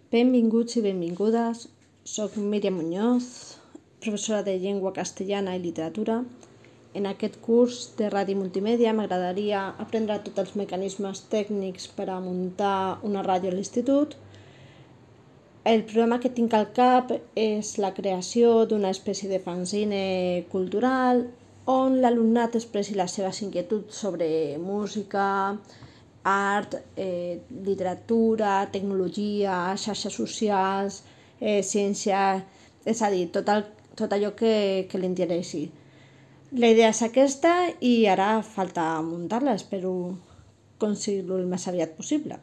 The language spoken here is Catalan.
Benvinguts i benvingudes. Soc Míriam Muñoz, professora de Llengua Castellana i Literatura. En aquest curs de ràdio multimèdia m'agradaria aprendre tots els mecanismes tècnics per a muntar una ràdio a l'institut. El problema que tinc al cap és la creació d'una espècie de fanzine cultural on l'alumnat expressi les seves inquietuds sobre música, art, literatura, tecnologia, xarxes socials, ciència, és a dir, tot allò que li interessi. La idea és aquesta i ara falta muntar-la, espero aconseguir-ho el més aviat possible.